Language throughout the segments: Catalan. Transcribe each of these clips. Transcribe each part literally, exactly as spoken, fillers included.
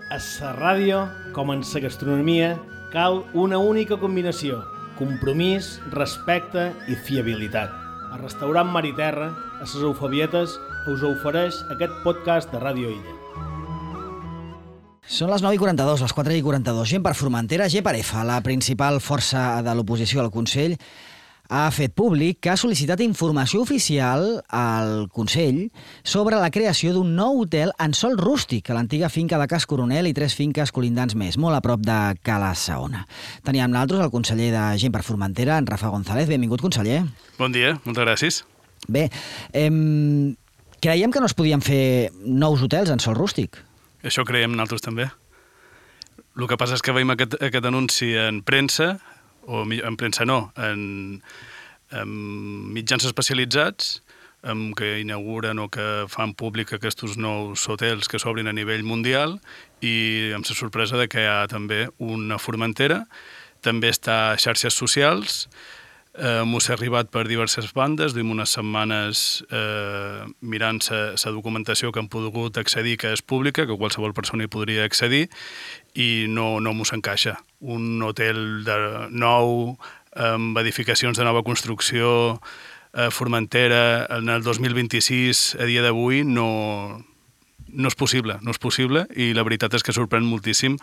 A la ràdio, com en la gastronomia, cal una única combinació: compromís, respecte i fiabilitat. El restaurant Mar i Terra, a les Eufabietes, us ofereix aquest podcast de Ràdio Illa. Són les nou i quaranta-dos, les quatre i quaranta-dos. Gent per Formentera, G per F, la principal força de l'oposició al Consell, ha fet públic que ha sol·licitat informació oficial al Consell sobre la creació d'un nou hotel en sòl rústic a l'antiga finca de Cas Coronel i tres finques colindants més, molt a prop de Cala Saona. Teníem nosaltres el conseller de Gent per Formentera, en Rafa González. Benvingut, conseller. Bon dia, moltes gràcies. Bé, eh, creiem que no es podien fer nous hotels en sòl rústic. Això creiem nosaltres també. El que passa és que veiem aquest, aquest anunci en premsa, o en premsa no, en, en mitjans especialitzats en que inauguren o que fan públic aquests nous hotels que s'obrin a nivell mundial, i amb la sorpresa de que hi ha també una Formentera. També està a xarxes socials. Eh, M'ho s'ha arribat per diverses bandes, duim unes setmanes eh, mirant la documentació que han pogut accedir, que és pública, que qualsevol persona hi podria accedir, i no, no m'ho s'encaixa. Un hotel de nou, amb edificacions de nova construcció, a Formentera, en el dos mil vint-i-sis, a dia d'avui, no, no és possible, no és possible, i la veritat és que sorprèn moltíssim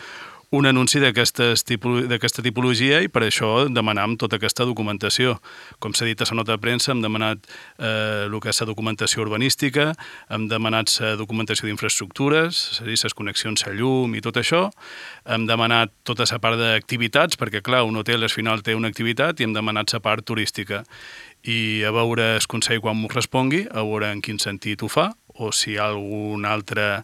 un anunci d'aquesta tipologia, i per això demanam tota aquesta documentació. Com s'ha dit a la nota de premsa, hem demanat eh, el que és la documentació urbanística, hem demanat la documentació d'infraestructures, és a dir, les connexions a llum i tot això, hem demanat tota la part d'activitats, perquè clar, un hotel al final té una activitat, i hem demanat la part turística. I a veure el Consell quan m'ho respongui, a veure en quin sentit ho fa, o si hi ha algun altre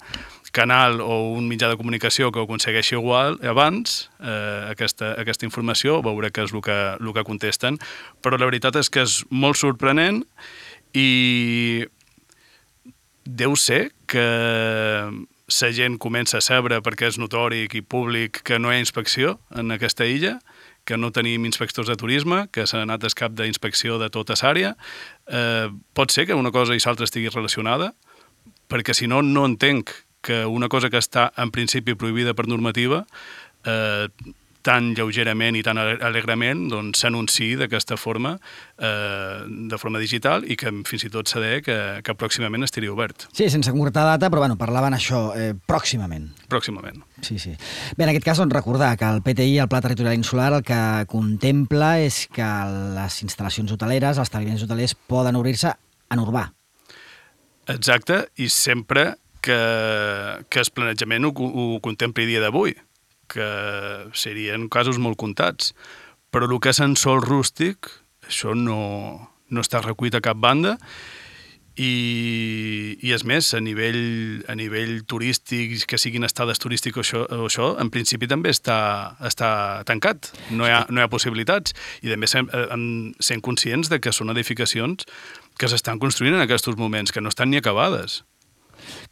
canal o un mitjà de comunicació que ho aconsegueixi igual abans, eh, aquesta, aquesta informació, veure què és el que, el que contesten. Però la veritat és que és molt sorprenent, i deu ser que la gent comença a saber, perquè és notori i públic, que no hi ha inspecció en aquesta illa, que no tenim inspectors de turisme, que s'ha anat el cap d'inspecció de tota l'àrea. Eh, pot ser que una cosa i l'altra estigui relacionada, perquè si no, no entenc que una cosa que està en principi prohibida per normativa eh, tan lleugerament i tan alegrement doncs, s'anunciï d'aquesta forma, eh, de forma digital, i que fins i tot s'ha de dir que, que pròximament estaria obert. Sí, sense concretar data, però bueno, parlaven això eh, pròximament. Pròximament. Sí, sí. Bé, en aquest cas, doncs, recordar que el P T I, el Pla Territorial Insular, el que contempla és que les instal·lacions hoteleres, els establiments hotelers, poden obrir-se en urbà. Exacte, i sempre que, que el planejament ho, ho contempli dia d'avui, que serien casos molt comptats. Però el que és en sòl rústic, això no, no està recollit a cap banda, i, i és més, a nivell, a nivell turístic, que siguin estades turístiques o això, o això, en principi també està, està tancat, no hi ha, no hi ha possibilitats. I també sem, sent conscients de que són edificacions que s'estan construint en aquests moments, que no estan ni acabades.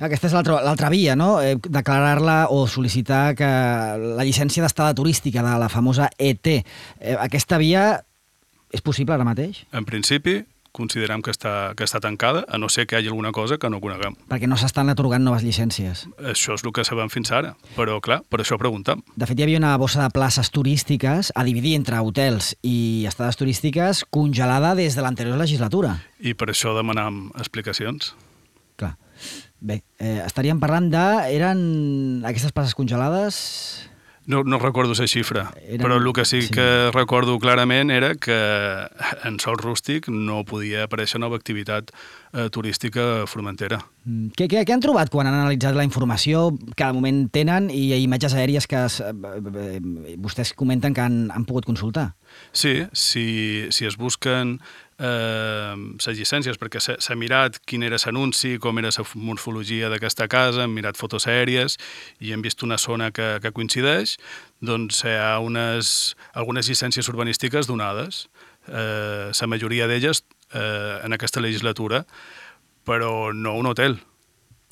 Aquesta és l'altra via, no? Eh, declarar-la o sol·licitar que la llicència d'estada turística de la famosa E T. Eh, aquesta via és possible ara mateix? En principi, considerem que està, que està tancada, a no ser que hi hagi alguna cosa que no coneguem. Perquè no s'estan atorgant noves llicències. Això és el que sabem fins ara, però clar, per això preguntem. De fet, hi havia una bossa de places turístiques a dividir entre hotels i estades turístiques congelada des de l'anterior legislatura. I per això demanam explicacions. Clar. Bé, eh, estaríem parlant de... Eren aquestes places congelades... No, no recordo la xifra, Eren... però el que sí, sí que recordo clarament era que en sòl rústic no podia aparèixer nova activitat eh, turística a Formentera. Què, què, què han trobat quan han analitzat la informació que de moment tenen i imatges aèries que es, eh, vostès comenten que han, han pogut consultar? Sí, si, si es busquen eh, les llicències, perquè s'ha mirat quin era l'anunci, com era la morfologia d'aquesta casa, hem mirat fotos aèries i hem vist una zona que, que coincideix, doncs hi ha unes, algunes llicències urbanístiques donades, eh, la majoria d'elles eh, en aquesta legislatura, però no un hotel.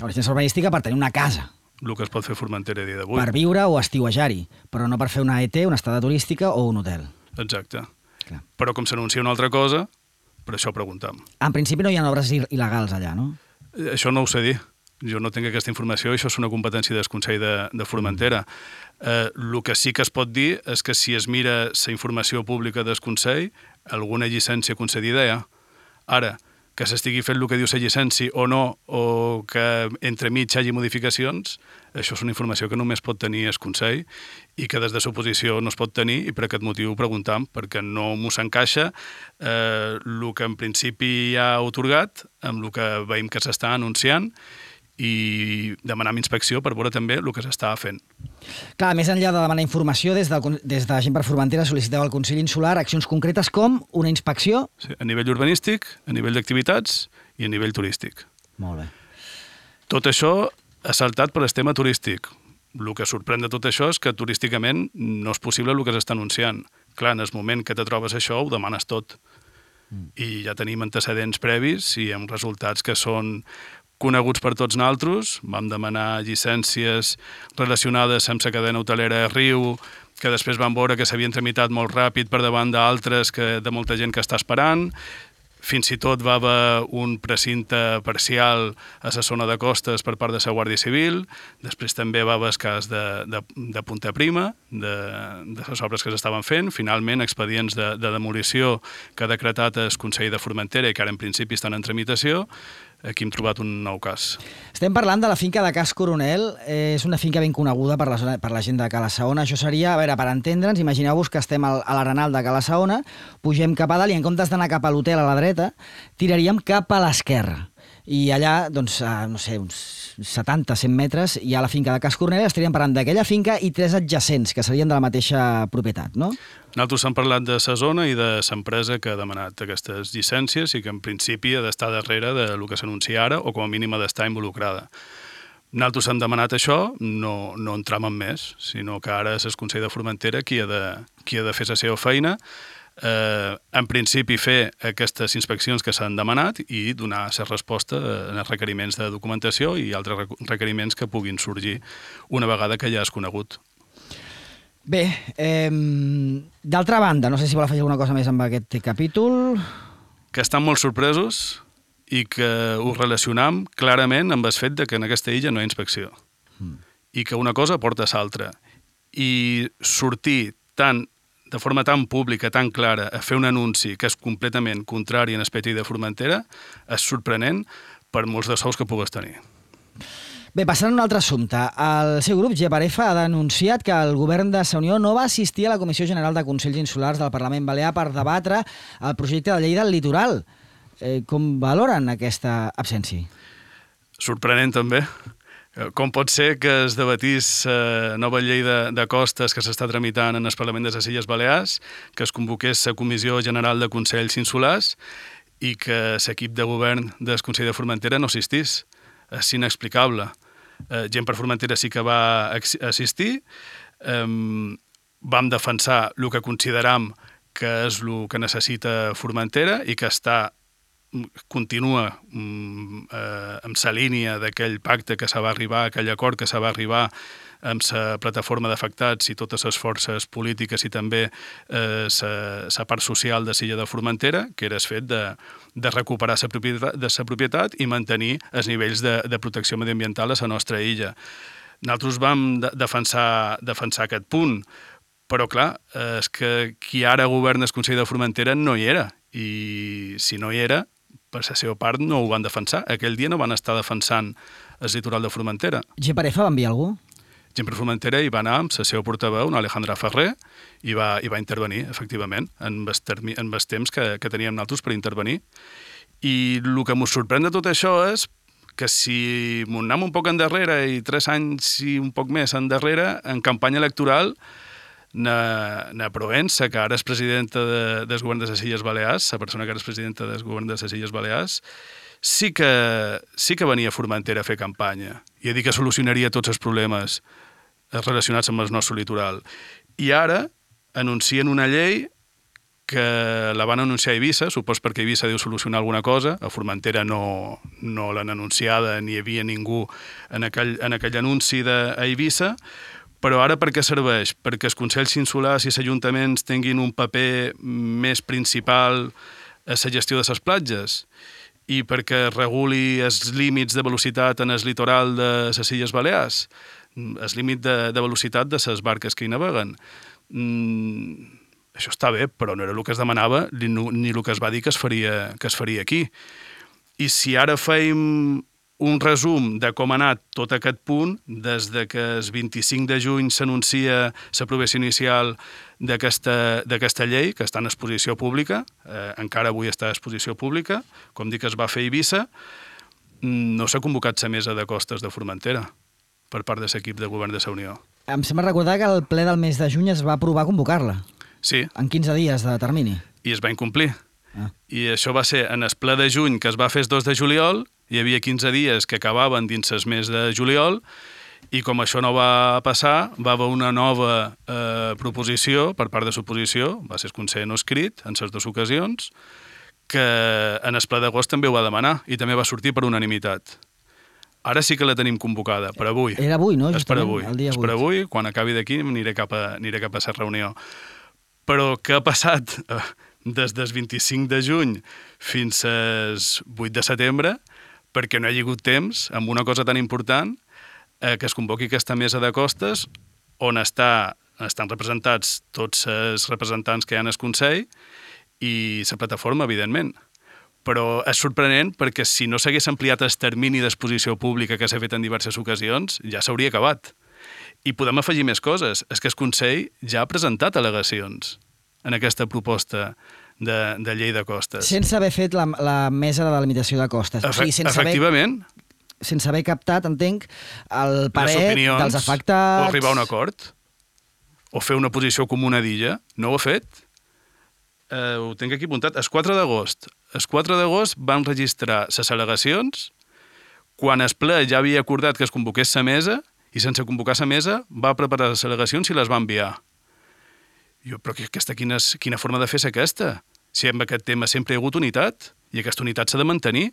La llicència urbanística per tenir una casa. El que es pot fer a Formentera a dia d'avui. Per viure o estiuejar-hi, però no per fer una E T, una estada turística o un hotel. Exacte. Clar. Però com s'anuncia una altra cosa, per això preguntam. En principi no hi ha obres il·legals allà, no? Això no ho sé dir. Jo no tinc aquesta informació, això és una competència del Consell de, de Formentera. Eh, el que sí que es pot dir és que si es mira la informació pública del Consell, alguna llicència concedida hi ha. Ara, que s'estigui fent el que diu la llicència o no, o que entremig hi hagi modificacions, això és una informació que només pot tenir el Consell i que des de l'oposició no es pot tenir, i per aquest motiu ho preguntam, perquè no m'ho s'encaixa eh, el que en principi hi ha otorgat amb el que veiem que s'està anunciant, i demanar inspecció per veure també el que s'està fent. Clar, més enllà de demanar informació, des de, des de Gent per Formentera sol·liciteu al Consell Insular accions concretes com una inspecció? Sí, a nivell urbanístic, a nivell d'activitats i a nivell turístic. Molt bé. Tot això ha saltat per el tema turístic. El que sorprèn de tot això és que turísticament no és possible el que s'està anunciant. Clar, en el moment que te trobes això ho demanes tot. Mm. I ja tenim antecedents previs i amb resultats que són coneguts per tots nosaltres. Vam demanar llicències relacionades amb la cadena hotelera Riu, que després vam veure que s'havien tramitat molt ràpid per davant d'altres, que de molta gent que està esperant. Fins i tot va haver un precinte parcial a la zona de costes per part de la Guàrdia Civil. Després també va haver el cas de, de, de Punta Prima, de, de les obres que s'estaven fent. Finalment, expedients de, de demolició que ha decretat el Consell de Formentera i que ara en principi estan en tramitació. Aquí hem trobat un nou cas. Estem parlant de la finca de Cas Coronel. Eh, és una finca ben coneguda per la, zona, per la gent de Cala Saona. Això seria, a veure, per entendre'ns, imagineu-vos que estem al, a l'arenal de Cala Saona, pugem cap a dalt i en comptes d'anar cap a l'hotel a la dreta, tiraríem cap a l'esquerra. I allà, doncs, a, no sé, uns setanta a cent metres, hi ha la finca de Cas Coronel. Estaríem parlant d'aquella finca i tres adjacents, que serien de la mateixa propietat, no? Nosaltres hem parlat de la zona i de l'empresa que ha demanat aquestes llicències i que en principi ha d'estar darrere del que s'anuncia ara o com a mínim ha d'estar involucrada. Nosaltres hem demanat això, no, no entram en més, sinó que ara és el Consell de Formentera qui ha de, qui ha de fer la seva feina, eh, en principi fer aquestes inspeccions que s'han demanat i donar la resposta en els requeriments de documentació i altres requeriments que puguin sorgir una vegada que ja és conegut. Bé, eh, d'altra banda, no sé si vol afegir alguna cosa més amb aquest capítol. Que estan molt sorpresos i que ho relacionam clarament amb el fet de que en aquesta illa no hi ha inspecció. Mm. I que una cosa porta a l'altra. I sortir tan, de forma tan pública, tan clara, a fer un anunci que és completament contrari en l'aspecte de Formentera és sorprenent per molts de sous que pugues tenir. Bé, passant a un altre assumpte. El seu grup, Geparefa, ha denunciat que el govern de la Unió no va assistir a la Comissió General de Consells Insulars del Parlament Balear per debatre el projecte de llei del litoral. Eh, com valoren aquesta absència? Sorprenent, també. Com pot ser que es debatís la nova llei de, de costes que s'està tramitant en el Parlament de les Illes Balears, que es convoqués la Comissió General de Consells Insulars i que l'equip de govern del Consell de Formentera no assistís? És inexplicable. Eh, Gent per Formentera sí que va assistir, eh, vam defensar el que consideram que és el que necessita Formentera i que està, continua eh, amb la línia d'aquell pacte que s'ha va arribar, aquell acord que s'ha va arribar amb la plataforma d'afectats i totes les forces polítiques i també eh, la part social de l'illa de Formentera, que era el fet de, de recuperar la propietat, de la propietat i mantenir els nivells de, de protecció mediambiental a la nostra illa. Nosaltres vam de, defensar, defensar aquest punt, però clar, és que qui ara governa el Consell de Formentera no hi era, i si no hi era, per la seva part no ho van defensar. Aquell dia no van estar defensant el litoral de Formentera. Geparefa va enviar algú? Gent per Formentera hi va anar amb la seva portaveu, una Alejandra Ferrer, i va, i va intervenir, efectivament, en els, termi, en els temps que, que teníem nosaltres per intervenir. I el que ens sorprèn de tot això és que si m'ho anem un poc endarrere i tres anys i un poc més endarrere, en campanya electoral, na, na Provença, que ara és presidenta de, del govern de les Illes Balears, la persona que ara és presidenta del govern de les Illes Balears, sí que, sí que venia a Formentera a fer campanya i a dir que solucionaria tots els problemes relacionats amb el nostre litoral. I ara anuncien una llei que la van anunciar a Eivissa, supos perquè Eivissa deu solucionar alguna cosa, a Formentera no, no l'han anunciada, ni hi havia ningú en aquell, en aquell anunci d'Eivissa, però ara per què serveix? Perquè els consells insulars i els ajuntaments tinguin un paper més principal a la gestió de les platges. i perquè reguli els límits de velocitat en el litoral de les Illes Balears, el límit de, de velocitat de les barques que hi naveguen. Mm, això està bé, però no era el que es demanava ni, ni el que es va dir que es faria, que es faria aquí. I si ara fèiem un resum de com ha anat tot aquest punt, des de que el vint-i-cinc de juny s'anuncia l'aprovació inicial d'aquesta llei, que està en exposició pública, eh, encara avui està en exposició pública, com dic, es va fer a Eivissa, no s'ha convocat la mesa de costes de Formentera per part de l'equip de govern de la Unió. Em sembla recordar que el ple del mes de juny es va aprovar convocar-la. Sí. En quinze dies de termini. I es va incomplir. Ah. I això va ser en el ple de juny, que es va fer el dos de juliol, hi havia quinze dies que acabaven dins el mes de juliol, i com això no va passar, va haver una nova eh, proposició per part de l'oposició, va ser el Consell no escrit, en les dues ocasions, que en el ple d'agost també ho va demanar, i també va sortir per unanimitat. Ara sí que la tenim convocada, per avui. Era avui, no? És per avui. El dia És per avui, quan acabi d'aquí aniré cap a, aniré cap a la reunió. Però què ha passat eh, des del vint-i-cinc de juny fins al vuit de setembre, perquè no hi ha hagut temps, amb una cosa tan important, eh, que es convoqui aquesta mesa de costes, on està, estan representats tots els representants que hi ha en el Consell i la plataforma, evidentment. Però és sorprenent perquè si no s'hagués ampliat el termini d'exposició pública que s'ha fet en diverses ocasions, ja s'hauria acabat. I podem afegir més coses. És que el Consell ja ha presentat al·legacions en aquesta proposta de, de llei de costes. Sense haver fet la, la mesa de delimitació de costes. Efe, o sigui, sense efectivament. Haver, sense haver captat, entenc, el parer opinions, dels afectats... O arribar a un acord, o fer una posició comuna d'illa. No ho ha fet. Eh, ho tinc aquí apuntat. El quatre d'agost. El quatre d'agost van registrar les al·legacions quan el ple ja havia acordat que es convoqués la mesa i sense convocar la mesa va preparar les al·legacions i les va enviar. Jo, però aquesta, quina, quina forma de fer és aquesta? Si amb aquest tema sempre hi ha hagut unitat i aquesta unitat s'ha de mantenir.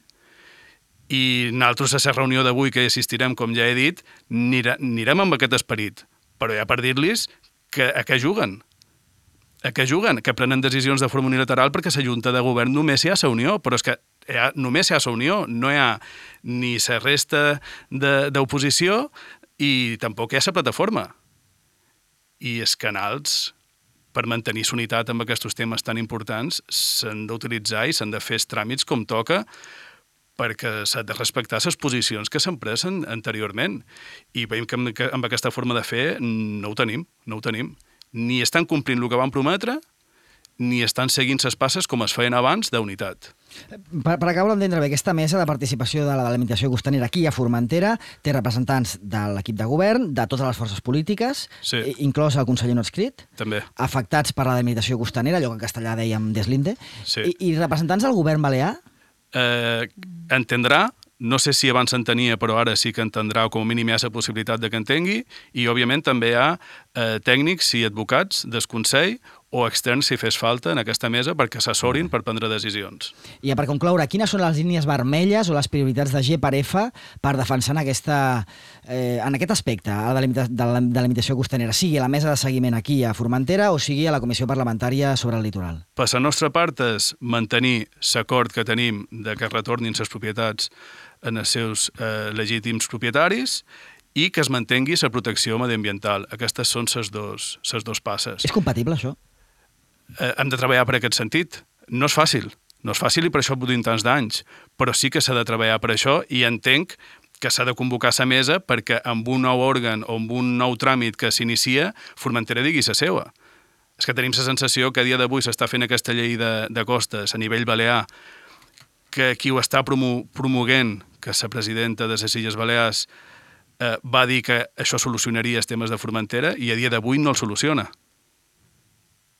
I nosaltres a la reunió d'avui que hi assistirem, com ja he dit, anirem amb aquest esperit, però ja per dir-los que a què juguen. A què juguen? Que prenen decisions de forma unilateral perquè la Junta de Govern només hi ha la Unió, però és que hi ha, només hi ha la Unió, no hi ha ni la resta d'oposició i tampoc hi ha la plataforma. I els canals, per mantenir la unitat amb aquests temes tan importants, s'han d'utilitzar i s'han de fer els tràmits com toca perquè s'ha de respectar les posicions que s'han pres anteriorment. I veiem que amb, que amb aquesta forma de fer no ho tenim, no ho tenim. Ni estan complint el que van prometre, ni estan seguint les passes com es feien abans d'unitat. Per, per acabar d'entendre bé, aquesta mesa de participació de la delimitació costanera aquí a Formentera té representants de l'equip de govern, de totes les forces polítiques, sí, inclòs el conseller no adscrit, també, afectats per la delimitació costanera, allò que en castellà dèiem deslinde, sí, i, i representants del govern balear? Eh, entendrà, no sé si abans s'entenia, però ara sí que entendrà, o com a mínim hi ha la possibilitat de que entengui, i òbviament també hi ha eh, tècnics i advocats del Consell o externs, si fes falta, en aquesta mesa perquè s'assorin per prendre decisions. I per concloure, quines són les línies vermelles o les prioritats de G per F per defensar en, aquesta, eh, en aquest aspecte a la delimita de la delimitació costanera, sigui a la mesa de seguiment aquí a Formentera o sigui a la Comissió Parlamentària sobre el Litoral? Per la nostra part és mantenir l'acord que tenim de que retornin les propietats en els seus eh, legítims propietaris i que es mantengui la protecció mediambiental. Aquestes són les dos, les dos passes. És compatible, això? Eh, hem de treballar per aquest sentit. No és fàcil, no és fàcil i per això durim tants d'anys, però sí que s'ha de treballar per això i entenc que s'ha de convocar la mesa perquè amb un nou òrgan o amb un nou tràmit que s'inicia, Formentera digui la seva. És que tenim la sensació que a dia d'avui s'està fent aquesta llei de, de costes a nivell balear, que qui ho està promo promoguent, que la presidenta de les Illes Balears eh, va dir que això solucionaria els temes de Formentera i a dia d'avui no el soluciona.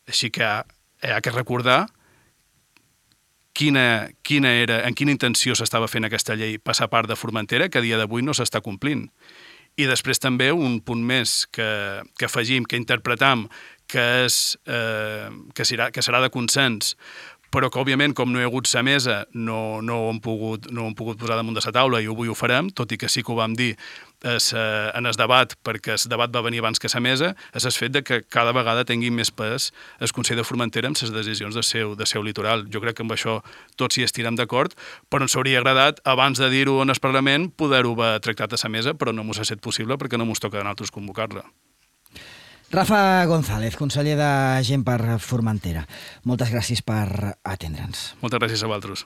Així que hi ha que recordar quina, quina era, en quina intenció s'estava fent aquesta llei passar part de Formentera, que a dia d'avui no s'està complint. I després també un punt més que, que afegim, que interpretam, que, és, eh, que, serà, que serà de consens, però que, òbviament, com no hi ha hagut sa mesa, no, no, ho hem pogut, no ho hem pogut posar damunt de la taula i avui ho farem, tot i que sí que ho vam dir es, en el debat, perquè el debat va venir abans que la mesa, és el fet de que cada vegada tingui més pes el Consell de Formentera amb les decisions del seu, del seu litoral. Jo crec que amb això tots hi estirem d'acord, però ens hauria agradat, abans de dir-ho en el Parlament, poder-ho haver tractat a la mesa, però no mos ha estat possible perquè no mos toca a nosaltres convocar-la. Rafa González, conseller de Gent per Formentera. Moltes gràcies per atendre'ns. Moltes gràcies a vosaltres.